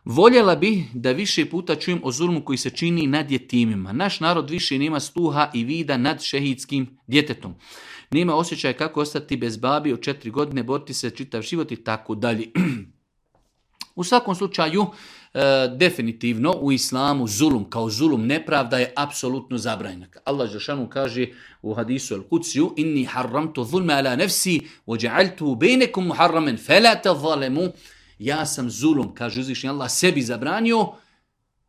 Voljela bi da više puta čujem o zulmu koji se čini nad jetimima. Naš narod više nema sluha i vida nad šehidskim djetetom. Nema osjećaja kako ostati bez babi od 4 godine, boriti se čitav život i tako dalje. U svakom slučaju, definitivno u islamu zulum kao zulum nepravda je apsolutno zabranjena. Allah dželešanu kaže u hadisu al-Kudsiju: inni harramtu zulma ala nafsi wa ja'altuhu bainakum muharraman fala tadhalamu. Ja sam zulum, kaže uzvišeni Allah, sebi zabranio,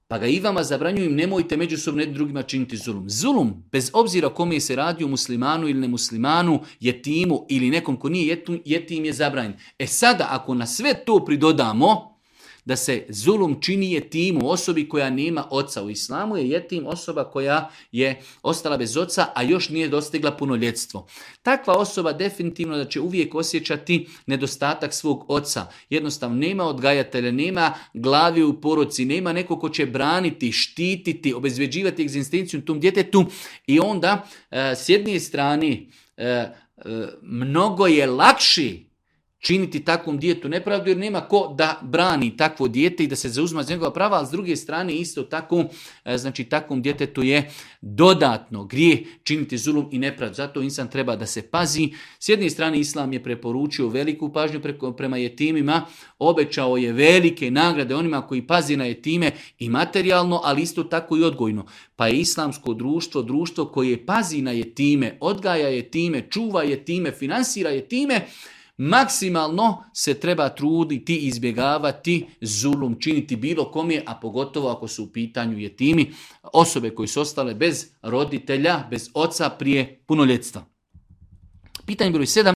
pa ga i vama zabranjujem, nemojte međusobno jedni drugima činiti zulum. Zulum, bez obzira kome se radi, o muslimanu ili nemuslimanu, jetimu ili nekom ko nije jetim, je zabranjen. Sada, ako na sve to pridodamo da se zulum čini jetimu, osobi koja nema oca, u islamu je jetim osoba koja je ostala bez oca, a još nije dostigla punoljetstvo. Takva osoba definitivno da će uvijek osjećati nedostatak svog oca. Jednostavno nema odgajatelja, nema glavi u porodci, nema neko ko će braniti, štititi, obezvjeđivati egzistenciju tom djetetu i onda s jedne strane mnogo je lakši činiti takvom djetetu nepravdu jer nema ko da brani takvo dijete i da se zauzma za njegova prava, a s druge strane isto tako, znači takvom djetetu je dodatno grijeh činiti zulum i nepravdu. Zato insan treba da se pazi. S jedne strane islam je preporučio veliku pažnju prema jetimima, obećao je velike nagrade onima koji pazi na jetime i materijalno, ali isto tako i odgojno. Pa je islamsko društvo, društvo koje pazi na jetime, odgaja jetime, čuva jetime, finansira jetime, maksimalno se treba truditi, izbjegavati zulum, činiti bilo kome, a pogotovo ako su u pitanju jetimi, osobe koje su ostale bez roditelja, bez oca prije punoljetstva. Pitanje broj 7.